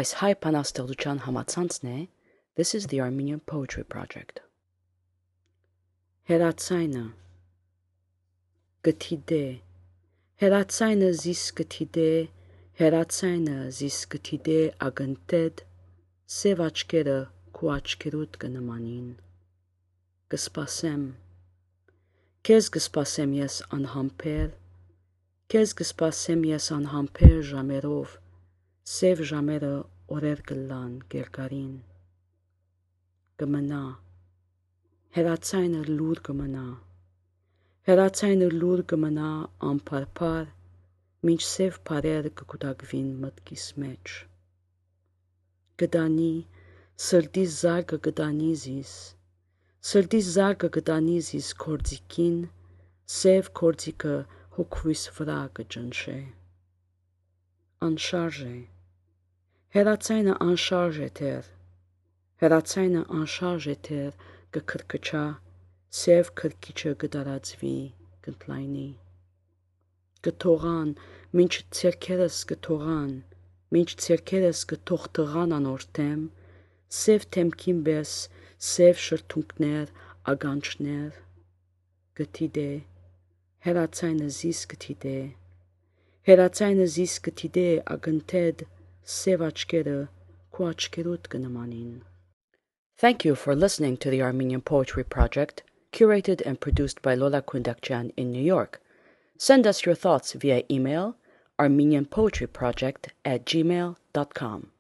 Այս հայ բանաստեղծության համացանցն է This is the Armenian Poetry Project. Հերացայնը գթիդե Հերացայնը զիս գթիդե Հերացայնը զիս գթիդե ագնտեդ սև աչքերը քու աչքերուդ կնմանին կսպասեմ Քեզ կսպասեմ ես անհամբեր Քեզ կսպասեմ ես անհամբեր ժամերով Սև ժամերը օրեր կլան գերգարին կմնա Հերացայնը լուր կմնա Հերացայնը լուր կմնա անփարփար մինչ սև բարեր կկուտակվին մտքիս մեջ կդանի սրտիս զարգը կդանի զիս Սրտիս զարգը կդանի զիս կորձիկին Սև կորձիկը հոգվիս վրա կճնշե Անշարժ է Հերացայնը անշարժ է թեր Հերացայնը անշարժ է թեր կքրքչա Սև քրքիչը կդարածվի կընդլայնի Կթողան մինչ ցերքերս կթողան Մինչ ցերքերս կթողթղան անորթեմ Սև թեմքին պես Սև շրթունքներ ագանչներ Գթիդե Հերացայնը զիս գթիդե Հերացայնը զիս գթիդե ագնտեդ Սև աչքերը քու աչքերուդ կնմանին Thank you for listening to the Armenian Poetry Project, curated and produced by Lola Kundakjian in New York. Send us your thoughts via email armenianpoetryproject@gmail.com.